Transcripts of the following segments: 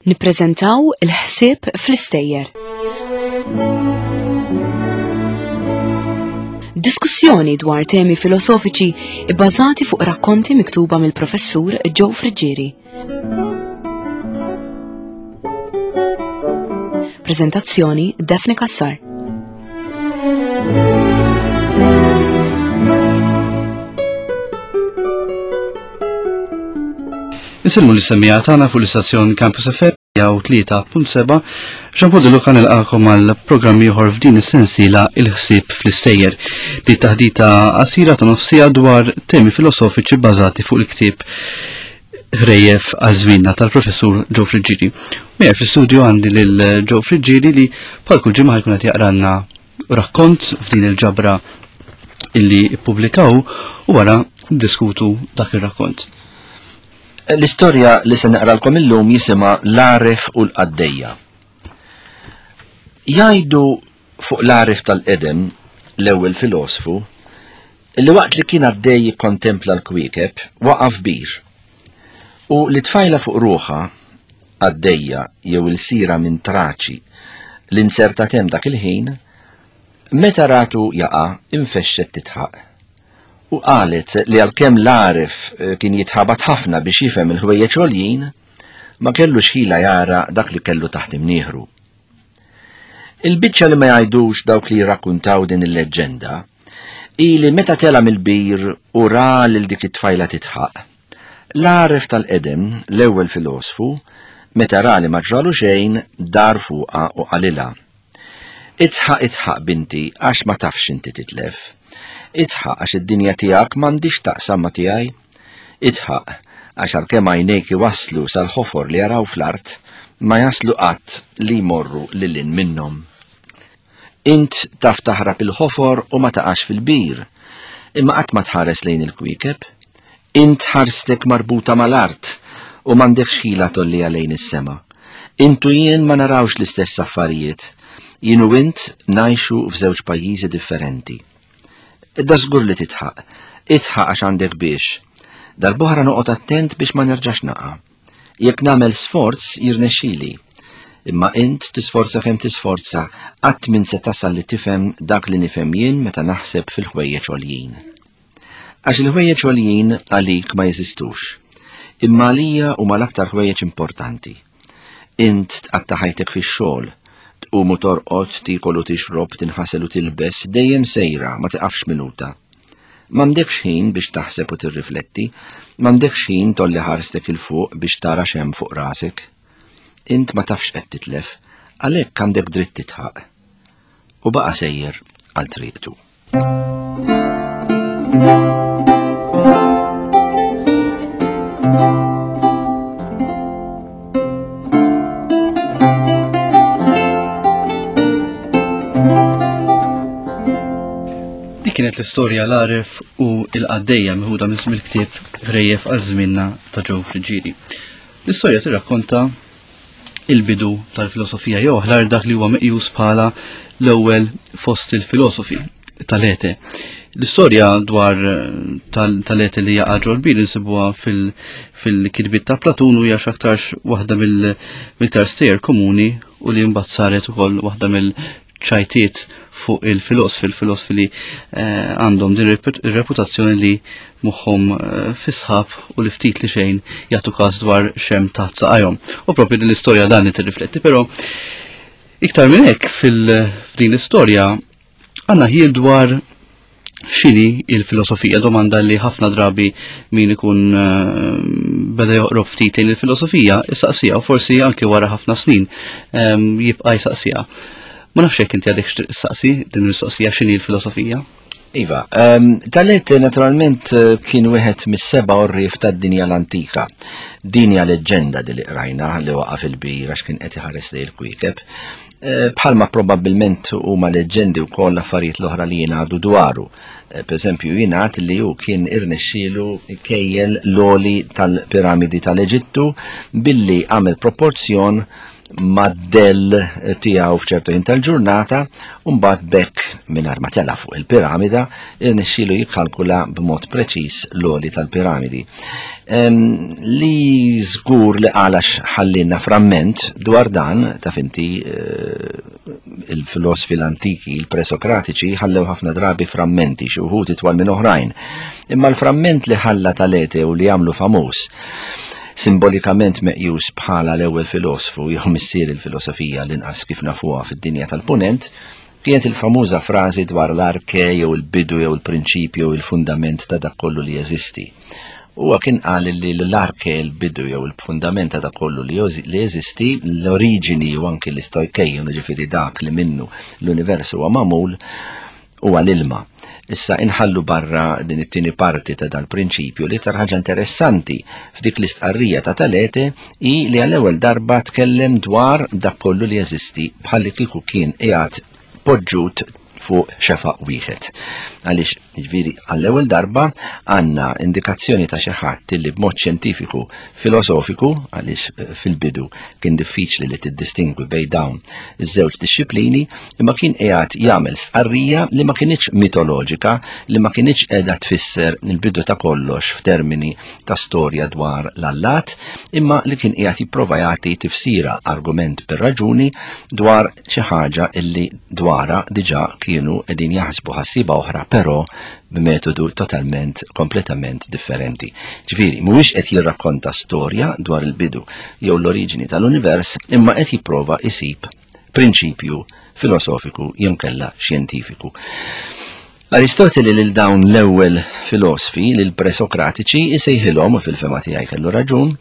Nippreżentaw il-ħsieb fl-istejjer. Diskussjoni dwar temi filosofiċi bbażati fuq rakkonti miktuba mill-professur Joe Friggieri. Prezentazzjoni Daphne Cassar. Nisilmu l-semmija tagħna fuq l-istazzjon Campus FM jew 3.7 Jean Paul De Luca nilqakom għal programm ieħor f'din is-sensiela il-ħsieb fl-istejjer li taħdita qasira ta' nofsija dwar temi filosofiċi bbażati fuq il-ktieb Ħrejjef għal żmienna tal-professur Joe Friggieri. Miegħi fl-istudju għandi lil Joe Friggieri li bħal kull ġimgħa jkun qed jaqranna rakkont f'din il-ġabra illi ippubblikaw u wara diskutu dak ir-rakkont. L-istorja li se naqralkom illum jisimha L-Għaref u l-Qaddejja. Jgħidu fuq l-għaref tal-qedem, l-ewwel filosfu, li waqt li kien għaddej jikkontempla l-kwiekeb, waqa' f'bir. U li tfajla fuq ruħha, qaddejja jew ilsira minn Traċi li nzertat hemm dak il-ħin, meta ratu jaqa' infexxet tidħaq. U qalet li għalkemm l-għaref eh, kien jitħabat ħafna biex jifhem il-ħwejjeġ għoljin, ma kellux ħila jara dak li kellu taħt imnieħru. Il-biċċa li ma jgħidux dawk li jirrakkuntaw din il-leġġenda hi li meta tela' mill-bir u ra lil dik it-tfajla tidħaq. L-għaref tal-qedem, l-ewwel filosfu, meta ra li ma ġralu xejn, dar fuqha u qalilha, Idħaq, idħaq, binti, għax ma tafx inti titlef. Idħaq għax id-dinja tiegħek m'għandhiex taqsam ma' tiegħi. Idħaq, għax għalkemm għajnejk iwasslu sal-ħofor li jaraw fl-art, ma jaslu qatt li jmorru lil hinn minnhom. Int taf taħrab il-ħofor u ma taqax fil-bir, imma qatt ma tħares lejn il-kwiekeb. Int ħarstek marbuta mal-art u m'għandekx ħila tgħolliha lejn is-sema. Int u jien ma narawx l-istess affarijiet. Jien u int ngħixu f'żewġ pajjiżi differenti. Da żgur li titħaq. Idħaq għax għandek biex. Darb'oħra noqgħod attent biex ma nerġax naqa'. Jekk nagħmel sforz jirnexxili. Imma int tisforza kemm tisforza, qatt m'int se tasal li tifhem dak li nifhem jien meta naħseb fil-ħwejjeġ għoljin. Għax il-ħwejjeġ għoljin għalik ma jeżistux, imma għalija huma l-aktar ħwejjeġ importanti. Int tqatta' ħajtek fix-xogħol, tqum u torqod, tiekol u tixrob, tinħasel u tilbes, dejjem sejra, ma tiqafx minuta. M'għandekx ħin biex taħseb u tirrifletti, m'għandekx ħin tolli ħarstek 'il fuq biex tara x'hemm fuq rasek. Int ma tafx x'qed titlef, għalhekk għandek dritt titħaq. U baqa' sejjer għal triqtu. Dik kienet l-istorja l-għaref u l-qaddejja meħuda mill-ktieb Ħrejjef għal żmienna ta' Joe Friggieri. L-istorja tirrakkonta il-bidu tal-filosofija jew aħlar dak li huwa meqjus bħala l-ewwel fost il-filosofi tal-ete. L-istorja dwar eh, tal-ete li jaqa' ġol-bir insibuha fil-kitbiet ta' Platun u hija x'aktarx waħda mill-iktar stejjer komuni u li mbagħad saret ukoll waħda mill ċajtiet fuq il-filosfi, il-filosfi li eh, għandhom din ir-reputazzjoni li moħħhom eh, fisħab u li ftit li xejn jagħtu każ dwar xem taħt saqajhom. U propju din l-istorja dan li tirrifletti, però iktar minn hekk fil-din l-istorja għandna ħiel dwar x'inhi il-filosofija, domanda li ħafna drabi min ikun eh, beda joqrob ftit lejn il-filosofija, isaqsija u forsi anki wara ħafna snin ehm, jibqa' jsaqsija. Ma nafx jekk inti għadek saqsi din il-mistoqsija x'inhi l-filosofija. Iva, um, Talet naturalment eh, kien wieħed mis-seba' orrif tad-dinja l-antika. Din hija leġġenda li qrajna li waqa' fil-bir għax kien qed iħares lejn il-kwiekeb. Eh, bħalma probabbilment huma leġġendi wkoll l-affarijiet l-oħra li jingħadu dwaru. Eh, per eżempju, jingħad li hu kien irnexxielu kejjel l-oli tal-piramidi tal-Eġittu billi għamel proporzjon mad-dell tiegħu f'ċertu ħin tal-ġurnata u mbagħad b'hekk mingħajr ma tela' fuq il-piramida irnexxielu jikkalkula b'mod preċiż l-għoli tal-piramidi. Li żgur li qal għax ħallinna framment dwar dan, taf inti eh, il-filosfi l-antiki, il-presokratiċi, ħallew ħafna drabi frammenti, xi wħud itwal minn oħrajn. Imma l-framment li ħalla Talete u li għamlu famuż simbolikament meqjus bħala l-ewwel filosfu jew missier il-filosofija l-inqas kif nafuha fid-dinja tal-Punent, kienet il-famuża frażi dwar l-arke jew il-bidu jew il-prinċipju jew il-fundament ta' dak kollu li jeżisti. Huwa kien qal li l-arke, il-bidu jew il-fundament ta' dak kollu li jeżisti, l-oriġini u anki l-istojkejjon, jiġifieri dak li minnu l-univers huwa magħmul, huwa l-ilma. Issa inħallu barra din it-tieni parti ta' dal-prinċipju. L-iktar ħaġa interessanti f'dik l-istqarrija ta' Talete hi li għall-ewwel darba tkellem dwar dak kollu li jeżisti bħalli kieku kien qiegħed poġġut fuq xefaq wieħed. Għaliex, jiġifieri, għall-ewwel darba għandna indikazzjoni ta' xi ħadd li b'mod xjentifiku filosofiku, għaliex eh, fil-bidu kien diffiċli li tiddistingwi bejn dawn iż-żewġ dixxiplini, imma kien qiegħed jagħmel stqarrija li ma kinitx mitoloġika, li ma kinitx qiegħda tfisser il-bidu ta' kollox f'termini ta' storja dwar l-allat, imma li kien qiegħed jipprova jagħti tifsira argument bir-raġuni dwar xi ħaġa illi dwarha diġà kienu qegħdin jaħsbu ħassieba oħra, però b'metodu totalment kompletament differenti. Ġifieri, mhuwiex qed jirrakkonta storja dwar il-bidu jew l-oriġini tal-univers, imma qed jipprova jsib prinċipju filosofiku jew kella xjentifiku. Aristoteli lil dawn l-ewwel filosfi, lil presokratiċi, isejħilhom, u fil-fema tiegħi kellu raġun,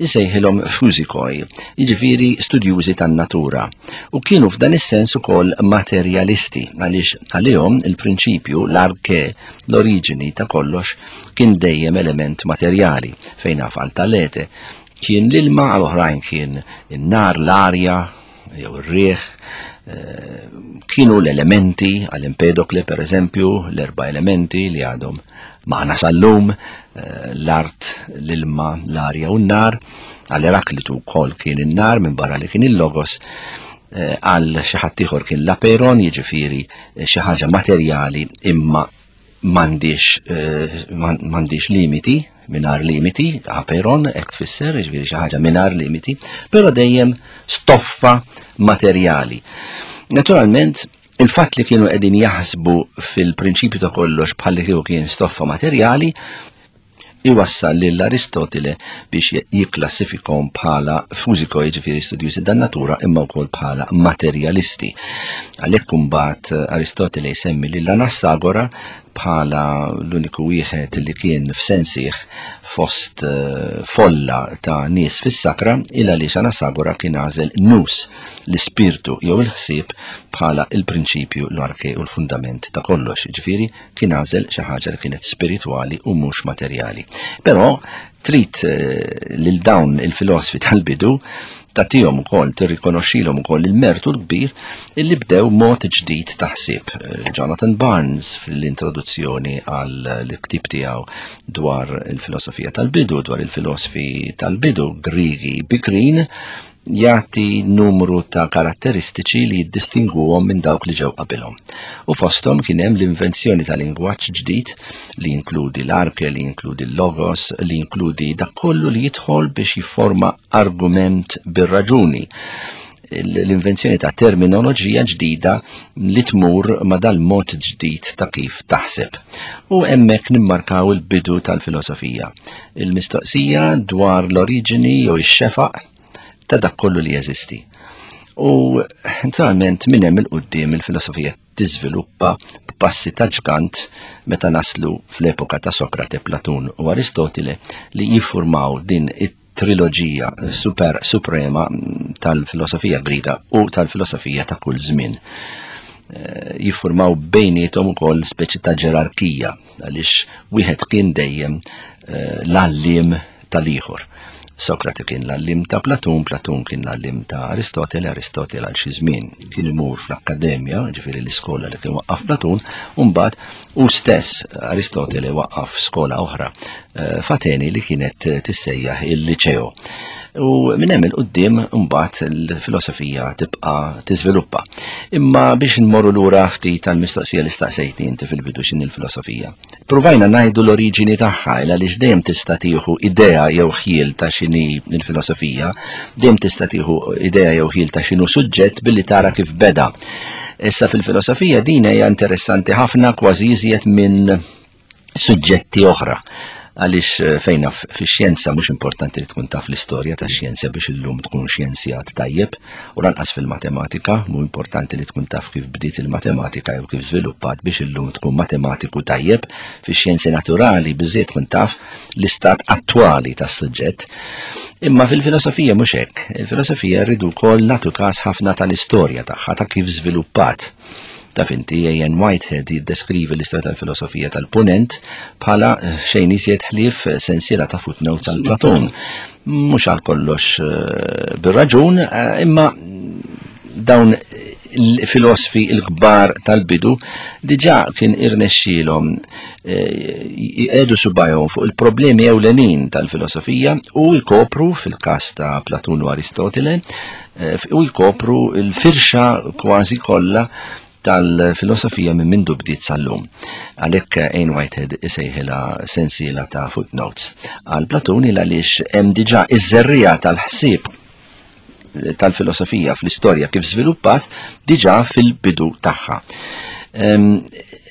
isejħilhom fusikoi, jiġifieri studjużi tan-natura. U kienu f'dan is-sens ukoll materjalisti, għaliex għalihom il-prinċipju, l-arke, l-oriġini ta' kollox kien dejjem element materjali, fejn naf għal Talete kien l-ilma, għal oħrajn kien in-nar, l-arja, jew ir-riħ, eh, kienu l-elementi għal Empedokle per eżempju, l-erba' elementi li għadhom maħna sal-lum, eh, l-art, l-ilma, l-arja u n-nar, għal Eraklitu wkoll kien in-nar minn barra li kien il-logos, eh, għal xi ħadd ieħor kien l-aperon, jiġifieri xi ħaġa materjali imma m'għandix eh, m'għandix limiti, mingħajr limiti, aperon, hekk tfisser, jiġifieri xi ħaġa mingħajr limiti, però dejjem stoffa materjali. Naturalment, il-fatt li kienu qegħdin jaħsbu fil-prinċipju ta' kollox bħalli kieku kien stoffa materjali, iwassal lil Aristotile biex jikklassifikhom bħala fuziko, jiġifieri studjużi dan-natura, imma wkoll bħala materjalisti. Għalhekk imbagħad eh, Aristotile jsemmi lil Anassagora bħala l-uniku wieħed li kien f'sensih fost eh, folla ta' nies fis-sakra il għaliex Anassagora kien għażel nus l-ispirtu jew il-ħsieb bħala il-prinċipju l-arke u l-fundament ta' kollox. Ġifieri kien għażel xi ħaġa li kienet spiritwali u mhux materjali. Però trid eh, lil dawn il-filosfi tal-bidu tagħtihom ukoll tirrikonoxxilhom ukoll il-mertu l-kbir illi bdew mod ġdid ta' ħsieb. Eh, Jonathan Barnes fl-introduzzjoni għal ktieb tiegħu dwar il-filosofija tal-bidu, dwar il-filosfi tal-bidu Grigi bikrin, jagħti numru ta' karatteristiċi li jiddistingwuhom minn dawk li ġew qabilhom. U fosthom kien hemm l-invenzjoni ta' lingwaġġ ġdid li jinkludi l-arke, li jinkludi l-logos, li jinkludi dak kollu li jidħol biex jifforma argument bir-raġuni l-invenzjoni ta' terminoloġija ġdida li tmur ma' dal-mod ġdid ta' kif taħseb. U hemmhekk nimmarkaw il-bidu tal-filosofija. Il-mistoqsija dwar l-oriġini jew ix-xefaq ta' dak kollu li jeżisti. U naturalment minn hemm il-qudiem il-filosofija tiżviluppa b'passi ta' ġgant meta naslu fl-epoka ta' Sokrate, Platun u Aristotile li jiffurmaw din it-triloġija super suprema tal-filosofija Griega u tal-filosofija ta' kull żmien. Eh, jiffurmaw bejniethom ukoll speċi ta' ġerarkija għaliex wieħed kien dejjem eh, l-għalliem tal-ieħor. Sokrate kien l-għalliem ta' Platun, Platun kien l-għalliem ta' Aristotele, Aristotele għal xi żmien kien imur fl-akkademja, ġifieri l-iskola li kien waqqaf Platun, u mbagħad hu stess Aristotele waqqaf skola oħra eh, f'Ateni li kienet tissejjaħ il-Liċeo. U minn hemm il-qudiem imbagħad il-filosofija tibqa' tiżviluppa. Imma biex nmorru lura ftit tal-mistoqsija li staqsejtni inti fil-bidu x'inhi l-filosofija. Pruvajna ngħidu l-oriġini tagħha il għaliex dejjem tista' tieħu idea jew ħjiel ta' x'inhi l-filosofija, dejjem tista' tieħu idea jew ħjiel ta' x'inhu suġġett billi tara kif beda. Issa fil-filosofija din hija interessanti ħafna kważi iżjed minn suġġetti oħra għaliex eh, fejna fix-xjenza mhux importanti li tkun taf l-istorja tax-xjenza biex illum tkun xjenzjat tajjeb u lanqas fil-matematika mhu importanti li tkun taf kif bdiet il-matematika jew kif żviluppat biex illum tkun matematiku tajjeb fix-xjenzi naturali biżejjed tkun taf l-istat attwali tas-suġġett. Imma fil-filosofija mhux hekk. Il-filosofija rridu wkoll nagħtu każ ħafna tal-istorja tagħha ta' kif żviluppat. Taf inti, A.N. Whitehead jiddeskrivi l-istorja tal-filosofija tal-Punent bħala eh, xejn iżjed ħlief eh, sensiela ta' footnotes għal Platun. Mhux għal kollox eh, bir-raġun, imma dawn il-filosfi il-kbar tal-bidu diġà kien irnexxielhom jqegħdu subajhom fuq il-problemi ewlenin tal-filosofija u jkopru fil-każ ta' Platun u Aristotile Eh, u jkopru l-firxa kważi kollha tal-filosofija minn mindu bdiet sal-lum. Għalhekk Ain Whitehead isejħilha sensiela ta' footnotes. Għal Platuni għaliex hemm diġà iż-żerriegħa tal-ħsieb tal-filosofija fl-istorja kif żviluppat diġà fil-bidu tagħha.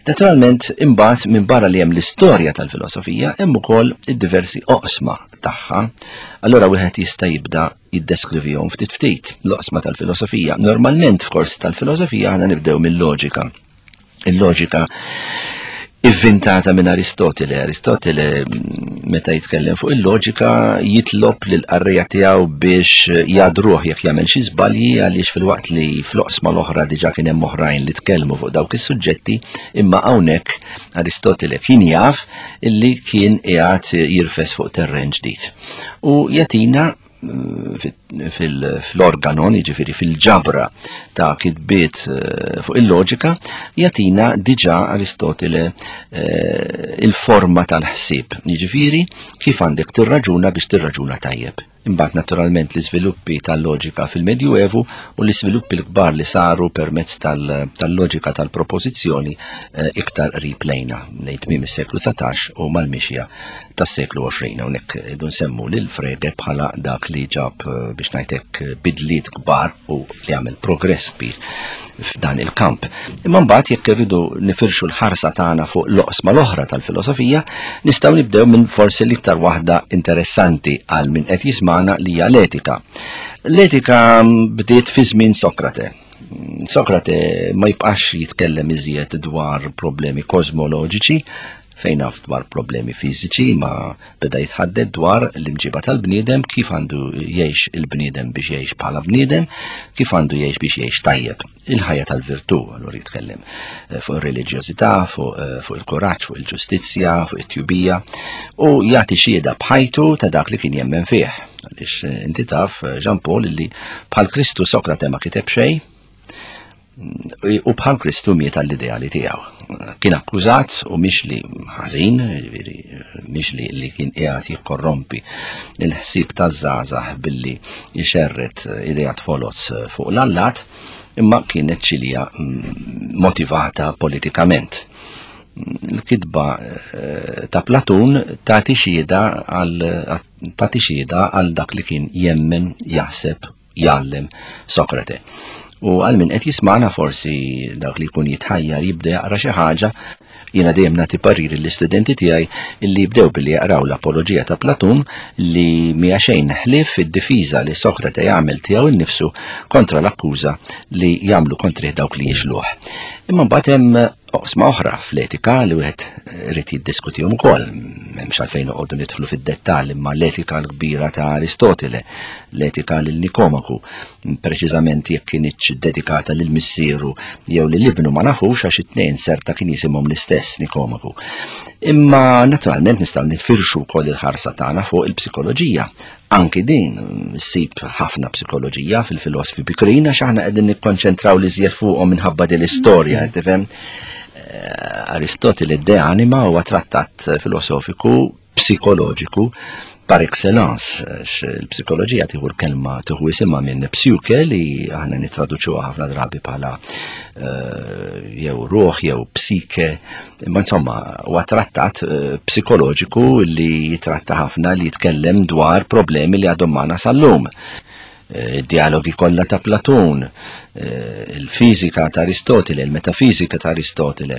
Naturalment, imbagħad minn barra li hemm l-istorja tal-filosofija, hemm ukoll id-diversi oqsma tagħha. Allura wieħed jista' jibda jiddeskrivihom ftit ftit l-oqsma tal-filosofija. Normalment f'kors tal-filosofija aħna nibdew mill-loġika. Il-loġika ivvintata minn Aristotele. Aristotele mm, meta jitkellem fuq il-loġika jitlob lil qarrija tiegħu biex jadruh jekk jagħmel xi żbalji għaliex filwaqt li fl-oqsma l-oħra diġà kien hemm oħrajn li tkellmu fuq dawk is-suġġetti, imma hawnhekk Aristotele kien jaf illi kien qiegħed jirfes fuq terren ġdid. U jagħtina fil-organon, jiġifieri fil-ġabra ta' kitbiet eh, fuq il-loġika, jagħtina diġà Aristotele eh, il-forma tal-ħsieb, jiġifieri kif għandek tirraġuna biex tirraġuna tajjeb. Imbagħad naturalment l-iżviluppi tal-loġika fil-Medjuevu u l-iżviluppi l-kbar li saru permezz tal-loġika tal-propożizzjoni eh, iktar qrib lejna lejn tmiem is-seklu 19 u mal-mixja tas-seklu 20. Hawnhekk idu nsemmu lil Frege bħala dak li ġab eh, biex ngħidlek bidliet kbar u li għamel progress kbir f'dan il-kamp. Imma mbagħad jekk irridu nifirxu l-ħarsa tagħna fuq l-oqsma l-oħra tal-filosofija, nistgħu nibdew minn forsi l-iktar waħda interessanti għal min qed jismana li hija l-etika. L-etika bdiet fi żmien Sokrate. Sokrate ma jibqax jitkellem iżjed dwar problemi kosmoloġiċi, fejn naf dwar problemi fiżiċi ma beda jitħaddet dwar l-imġiba tal-bniedem, kif għandu jgħix il-bniedem biex jgħix bħala bniedem, kif għandu jgħix biex jgħix tajjeb. Il-ħajja tal-virtù, allura jitkellem eh, fuq ir-reliġjożità, fuq eh, fu il-kuraġġ, fuq il-ġustizzja, fuq it-tjubija, u jagħti xhieda b'ħajtu ta' dak li kien jemmen fih. Għaliex eh, inti taf, Jean Paul, li bħal Kristu Sokrate ma kiteb xejn, u bħal Kristu miet għall-ideali tiegħu. Kien akkużat u mhix li ħażin, jiġifieri mhix li, li kien qiegħed jikkorrompi il-ħsieb taż-żgħażagħ billi jxerret ideat foloz fuq l-allat, imma kienet ċilija mm, motivata politikament. Il-kitba eh, ta' Platun tagħti xhieda għal tagħti xhieda għal dak li kien jemmen, jaħseb jgħallem Sokrate. U għal min qed jismana forsi dak li jkun jitħajjar jibda jaqra xi ħaġa, jiena dejjem nagħti pariri l-istudenti tiegħi li jibdew billi jaqraw l-Apoloġija ta' Platun li mija xejn ħlief id-difiża li Sokrate jagħmel tiegħu nnifsu kontra l-akkuża li jagħmlu kontrih dawk li jixluh. Imma mbagħad hemm Oqsma oħra fl-etika li wieħed irid jiddiskutihom ukoll, m'hemmx għalfejn noqogħdu nidħlu fid-dettall imma l-etika l-kbira ta' Aristotele, l-etika lil Nikomaku, preċiżament jekk kinitx dedikata lil missieru jew lil ibnu ma nafux għax it-tnejn serta kien jisimhom l-istess Nikomaku. Imma naturalment nistgħu nifirxu wkoll il-ħarsa tagħna fuq il-psikoloġija Anki din ssib ħafna psikoloġija fil-filosfi bikrin għax aħna qegħdin nikkonċentraw li żjed fuqhom minħabba din l-istorja, mm. tifhem? Eh, Aristotile De Anima huwa trattat filosofiku psikoloġiku par excellence, għax il-psikoloġija tieħu l-kelma tieħu isimha minn psuke li aħna nittraduċuha ħafna drabi bħala eh, jew ruħ jew psike, imma insomma huwa trattat eh, psikoloġiku li jitratta ħafna li jitkellem dwar problemi li għadhom magħna sal-lum. Eh, id-dialogi kollha ta' Platun, il-fiżika ta' Aristotele, il-metafiżika ta' Aristotele,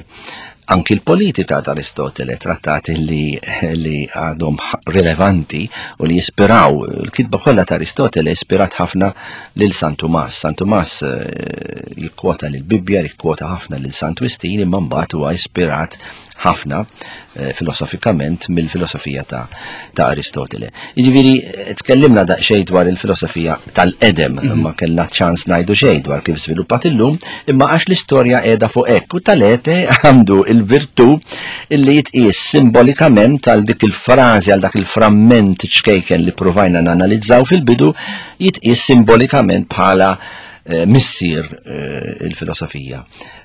anki l-politika ta' Aristotele, trattati li, li għadhom rilevanti u li jispiraw, il-kitba kollha ta' Aristotele ispirat ħafna lil San Tumas. San Tumas eh, jikkwota lil Bibbja, jikkwota ħafna lil Sant Wistin, imma mbagħad huwa ispirat ħafna eh, filosofikament mill-filosofija ta', ta Aristotele. Jiġifieri eh, tkellimna daqsxejn dwar il-filosofija tal-qedem, mm -hmm. ma kellna ċans ngħidu xejn dwar kif żviluppat illum, imma għax l-istorja qiegħda fuq hekk u tal-ete għandu il-virtù illi jitqies simbolikament għal dik il-frażi għal dak il-framment ċkejken li provajna nanalizzaw fil-bidu jitqies simbolikament bħala eh, missier il-filosofija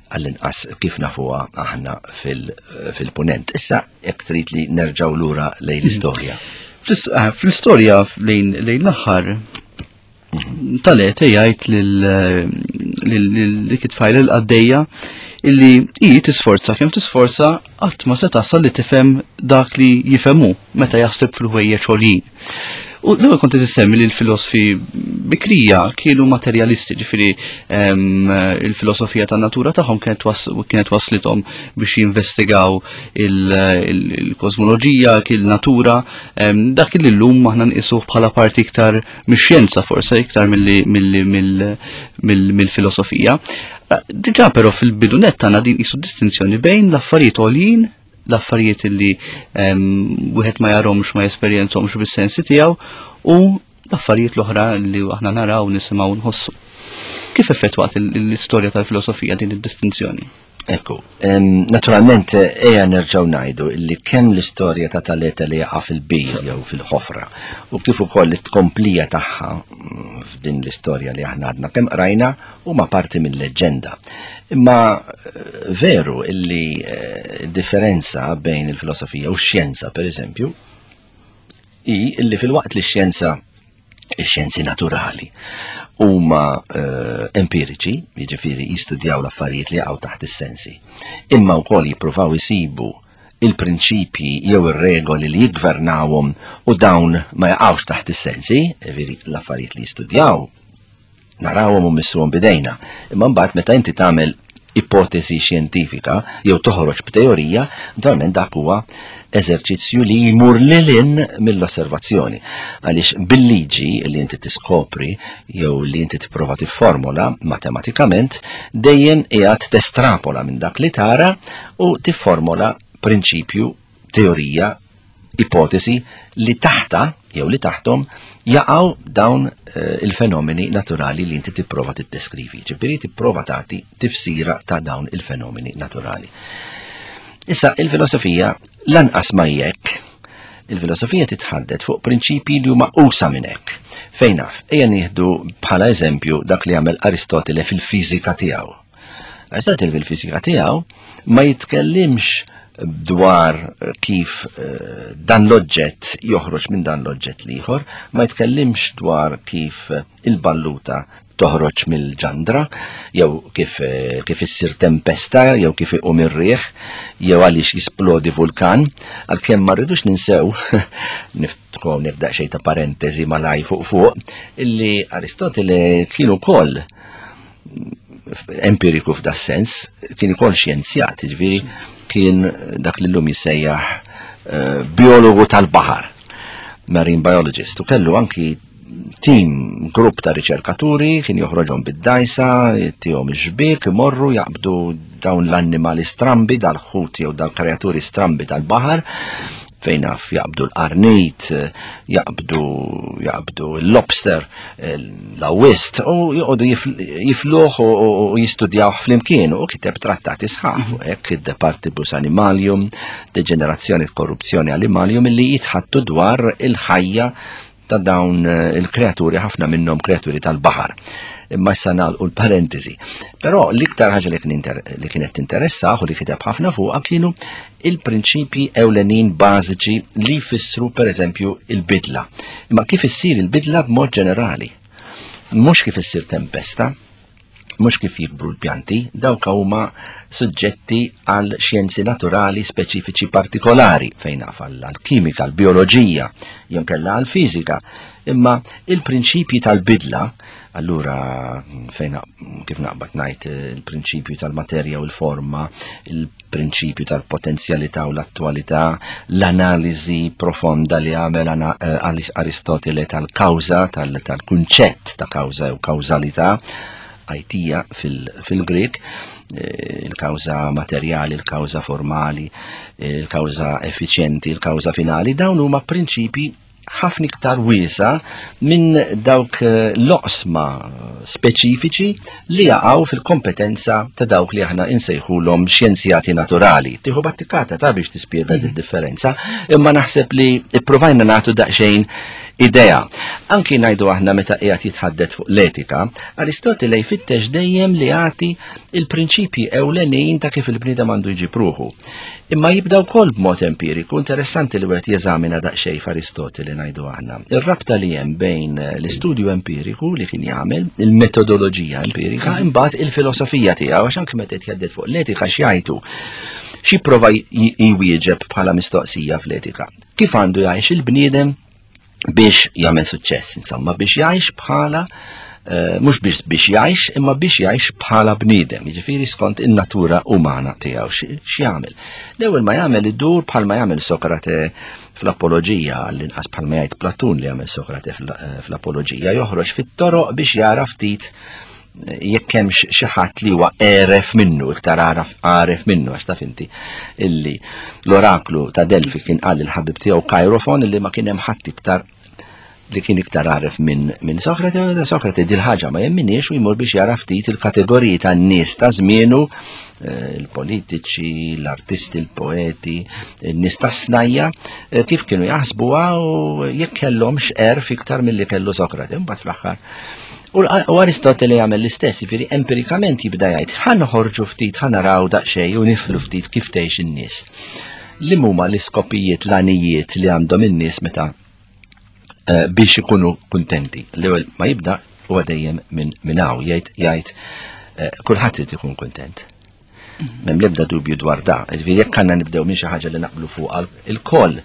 għall-inqas kif nafuha aħna fil-punent. Issa jekk trid li nerġgħu lura lejn l-istorja. Eh, fl-istorja lejn l-aħħar tal-ete jgħid lil dik it-tfajla l-qaddejja illi hi tisforza kemm tisforza qatt ma se tasal li tifhem dak li jifhemu meta jaħseb fil-ħwejjeġ għoljin. U l-ewwel kont qed li l-filosfi bikrija kienu materjalisti, ġifieri il-filosofija tan-natura tagħhom kienet waslithom biex jinvestigaw il-kosmoloġija, il-natura, dak li llum aħna nqisuh bħala parti iktar mix-xjenza forse iktar mill-filosofija. Diġà però fil-bidu nett għandna din qisu distinzjoni bejn l-affarijiet għoljin l-affarijiet li wieħed ma jarhomx ma jesperjenzhomx bis-sensi tiegħu u l-affarijiet l-oħra li aħna naraw, nisimgħu, nħossu. Kif effettwat l-istorja tal-filosofija din id-distinzjoni? Ekku, naturalment eja nerġgħu ngħidu li kemm l-istorja ta' Taleta li jaqa' fil-bir jew fil-ħofra u kif ukoll it-tkomplija tagħha mm, f'din l-istorja li aħna għadna kemm qrajna huma parti mill-leġġenda. Imma eh, veru illi eh, differenza bejn il-filosofija u x-xjenza, per eżempju, hi illi fil-waqt li x-xjenza ix-xjenzi naturali huma eh, empiriċi, jiġifieri jistudjaw l-affarijiet li jaqgħu taħt is-sensi, imma wkoll jippruvaw isibu il-prinċipji jew ir-regoli li jiggvernawhom u dawn ma jaqgħux taħt is-sensi, jiġifieri l-affarijiet li jistudjaw narawhom u missuhom bidejna. Imma mbagħad meta inti tagħmel ipotesi xjentifika jew toħroġ b'teorija, naturalment dak huwa eżerċizzju li jmur lilin mill-osservazzjoni. Għaliex bil-liġi li inti tiskopri jew li inti tipprova tifformola matematikament, dejjem qiegħed testrapola minn dak li tara u tifformola prinċipju, teorija ipotesi li taħta jew li taħtom jaqgħu dawn eh, il-fenomeni naturali li inti tipprova tiddeskrivi. Ġifieri tipprova tagħti tifsira ta' dawn il-fenomeni naturali. Issa il-filosofija lanqas ma jekk il-filosofija titħaddet fuq prinċipji li huma usa minn hekk. Fejn naf, ejja nieħdu bħala eżempju dak li għamel Aristotele fil-fiżika tiegħu. Aristotele fil-fiżika tiegħu ma jitkellimx dwar kif eh, dan l-oġġett joħroġ minn dan l-oġġett l-ieħor, ma jitkellimx dwar kif eh, il-balluta toħroġ mill-ġandra, jew kif, eh, kif issir tempesta, jew kif iqum ir-riħ, jew għaliex jisplodi vulkan, għalkemm ma rridux ninsew, niftħu hawnhekk daqsxejn ta' parentesi malaj fuq fuq, illi Aristotele kien ukoll empiriku f'da sens, kien ukoll xjenzjat, ġifieri kien dak li llum jissejjaħ eh, biologu tal-baħar, marine biologist, u kellu anki tim, grupp ta' riċerkaturi, kien joħroġhom bid-dajsa, tihom ix-xbiek, imorru jaqbdu dawn l-annimali strambi, dal-ħut jew dal-kreaturi strambi tal-baħar, fejn naf jaqbdu l-qarnit, jaqbdu jaqbdu l-lobster, l-awist, u joqogħdu jifluh u jistudjawh flimkien u kiteb trattati sħaħ fuq hekk De Partibus Animalium, Degenerazzjoni Korruzzjoni Animalium illi jitħattu dwar il-ħajja ta' dawn eh, il-kreaturi, ħafna minnhom kreaturi tal-baħar. Imma issa nagħlqu l-parentesi. Però l-iktar ħaġa li kienet tinteressah u li kiteb ħafna fuqha kienu il-prinċipji ewlenin bażiċi li jfissru pereżempju il-bidla. Imma kif issir il-bidla b'mod ġenerali? Mhux kif issir tempesta, mhux kif jikbru l-pjanti, dawk huma suġġetti għal xjenzi naturali speċifiċi partikolari, fejn naf għall-kimika, għall-bioloġija, jew kellha għall-fiżika. Imma il-prinċipji tal-bidla, allura fejn kif naqbad ngħid il-prinċipju tal-materja u l-forma, il-prinċipju tal-potenzjalità u l-attwalità, l-analiżi profonda li għamel eh, Aristotele tal-kawża, tal-kunċett ta' kawża u kawżalità, għajtija fil-Grek, eh, il-kawża materjali, il-kawża formali, il-kawża effiċjenti, il-kawża finali, dawn huma prinċipi ħafna iktar wiesa minn dawk eh, l-oqsma speċifiċi li jaqgħu fil-kompetenza ta' dawk li aħna insejħulhom xjenzjati naturali. Tieħu battikata ta' biex tispjega mm. differenza, imma naħseb li ippruvajna nagħtu daqsxejn idea. Anki ngħidu aħna meta qiegħed jitħaddet fuq l-etika, Aristotele jfittex dejjem li jagħti il-prinċipji ewlenin ta' kif il-bniedem għandu jġib ruħu. Imma jibda wkoll b'mod empiriku, interessanti li wieħed jeżamina daqsxejn f'Aristotele ngħidu aħna. Ir-rabta li hemm bejn l-istudju empiriku li kien jagħmel, il-metodoloġija empirika, imbagħad il-filosofija tiegħu għax anke meta qed jgħadded fuq l-etika x'jgħidu. Xi prova jwieġeb bħala mistoqsija fl-etika? Kif għandu jgħix il-bniedem biex jagħmel suċċess, insomma, biex jgħix bħala eh, mhux biex biex jgħix, imma biex jgħix bħala bniedem, jiġifieri skont in-natura umana tiegħu x'jagħmel. L-ewwel ma jagħmel idur bħalma jagħmel Sokrate fl-Apoloġija, l-inqas bħalma jgħid Platun li jagħmel Sokrate eh, fl-Apoloġija, joħroġ fit-toroq biex jara ftit jekk hemmx xi ħadd li huwa għeref minnu, iktar għaref minnu, għax taf inti illi l-oraklu ta' Delfi kien qal il-ħabib tiegħu Kairofon illi ma kien hemm ħadd iktar li kien iktar għaref minn min Sokrate, u Sokrate dil ħaġa ma jemminix u jmur biex jara ftit il-kategoriji tan-nies ta' żmienu, eh, il-politiċi, l-artisti, il-poeti, in-nies tas-snajja, eh, kif kienu jaħsbuha u jekk kellhomx għerf iktar milli kellu Sokrate. Mbagħad fl-aħħar U Aristotele jagħmel l-istess, jiġifieri empirikament jibda jgħid ħa noħorġu ftit, ħa naraw daqsxejn u niflu ftit kif tgħix in-nies. Li huma l-iskopijiet, l-għanijiet li għandhom in-nies meta eh, biex ikunu kuntenti. L-ewwel ma jibda huwa dejjem minn min hawn jgħid jgħid eh, kulħadd irid ikun kuntent. M'hemm l-ebda dubju dwar da. Ġifieri jekk għandna nibdew minn xi ħaġa li naqblu fuq il-koll,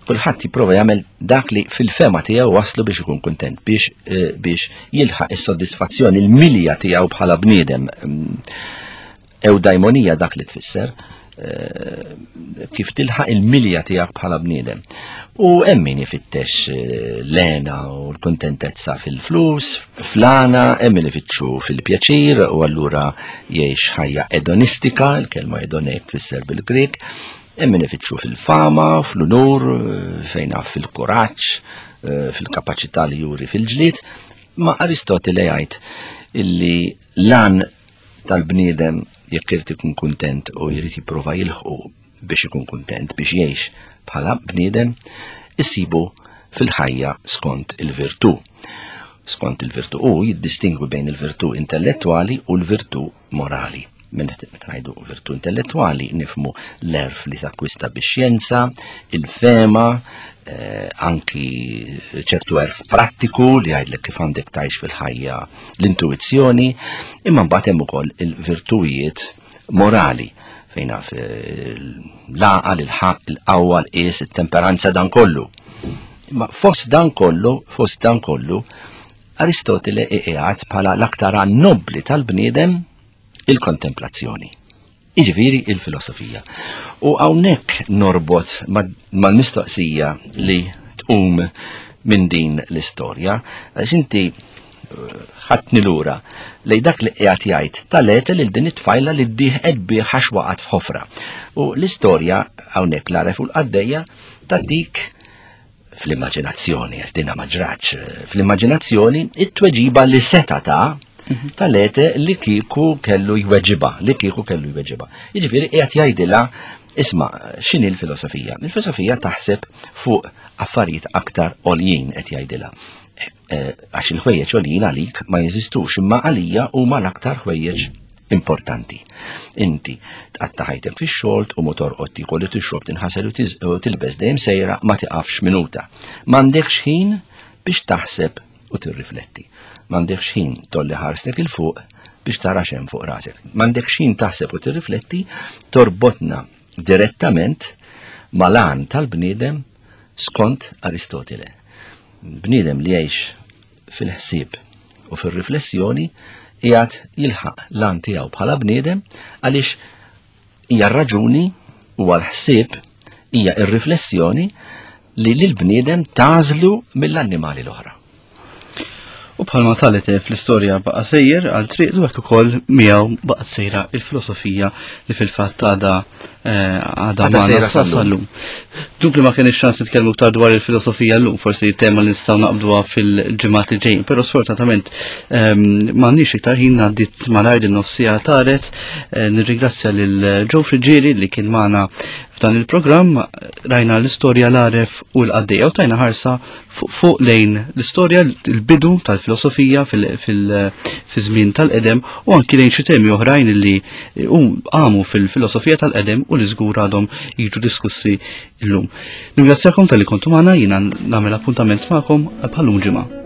kulħadd jipprova jagħmel dak li fil-fema tiegħu waslu biex ikun kuntent, biex eh, biex jilħaq is-soddisfazzjoni, il-milja tiegħu bħala bniedem. Mm, Ewdajmonija dak li tfisser. Eh, kif tilħaq il-milja tiegħek bħala bniedem. U hemm min ifittex eh, l-għena u l-kuntentezza fil-flus, fl-għana, hemm min ifittxu fil-pjaċir u allura jgħix ħajja edonistika, il-kelma edonek tfisser bil-Grek, hemm min ifittxu fil-fama, fl-unur, eh, fejn fil-kuraġġ, fil-kapaċità li juri fil-ġlied, ma Aristotele jgħid illi lan tal-bniedem jekk irid ikun kuntent u jrid jipprova jilħqu biex ikun kuntent biex jgħix bħala bniedem, issibu fil-ħajja skont il-virtù. Skont il-virtù u jiddistingwi bejn il-virtù intellettwali u l-virtù morali. Meta ngħidu virtù intellettwali nifmu l-erf li takkwista bix-xjenza, il-fema, eh, anki ċertu erf prattiku li jgħidlek kif għandek tgħix fil-ħajja l-intuizzjoni, imma mbagħad hemm ukoll il-virtujiet morali fejn naf eh, l-għaqal, il-ħaq, il-qawwa, l-qies, it-temperanza dan kollu. Imma fost dan kollu, fost dan kollu, Aristotele iqiegħed bħala l-aktar nobbli tal-bniedem il-kontemplazzjoni. Jiġifieri il-filosofija. U hawnhekk norbot mal-mistoqsija li tqum minn din l-istorja, għax inti eh, ħadtni lura lej dak li qiegħed jgħid tal-ete lil din it-tfajla li ddieħqet bih għax waqgħet f'ħofra. U l-istorja hawnhekk l-għaref u l-qaddejja tagħtik fl-immaġinazzjoni, għax dina ma ġratx, fl-immaġinazzjoni it-tweġiba li seta ta' mhm. tal-ete li kieku kellu jweġiba, li kieku kellu jweġiba. Jiġifieri qiegħed jgħidilha Isma, x'inhi l-filosofija? Il-filosofija taħseb fuq affarijiet aktar għoljin qed jgħidilha. Eh, għax il-ħwejjeġ għoljin għalik ma jeżistux, imma għalija huma l-aktar ħwejjeġ importanti. Inti tqatta' ħajtek fix-xogħol tqum u torqod tiekol u tixrob tinħasel u tilbes dejjem sejra ma tiqafx minuta. M'għandekx ħin biex taħseb u tirrifletti. M'għandekx ħin tolli ħarstek 'il fuq biex tara x'hemm fuq rasek. M'għandekx ħin taħseb u tirrifletti torbotna direttament mal-għan tal-bniedem skont Aristotile. Bniedem li jgħix fil-ħsieb u fir-riflessjoni qiegħed jilħaq l-għan tiegħu bħala bniedem għaliex hija r-raġuni huwa l-ħsieb hija r-riflessjoni li lill-bniedem tagħżlu mill-annimali l-oħra. U bħalma Talete fl-istorja baqa' sejjer għal triqtu hekk ukoll miegħu baqgħet sejra il-filosofija li fil-fatt għadha eh, għadha magħna sa sal-lum. Dubli ma kienx ċans nitkellmu iktar dwar il-filosofija llum, forsi tema li nistgħu naqbduha fil-ġimgħat li ġejjin, però sfortunatament ehm, m'għandniex iktar ħin għaddiet malajr din nofsija taret. Eh, nirringrazzja lil Joe Friġieri li kien magħna f'dan il-programm rajna l-istorja l-għaref u l-qaddejja u tajna ħarsa fuq lejn l-istorja, l-bidu tal-filosofija fil-żmien tal-qedem u anki lejn xi temi oħrajn li għamu fil-filosofija tal-qedem u li żgur għadhom jiġu diskussi llum. Ningrazzjakom tal-li kontu magħna jiena nagħmel appuntament magħkom għal bħallum ġimgħa.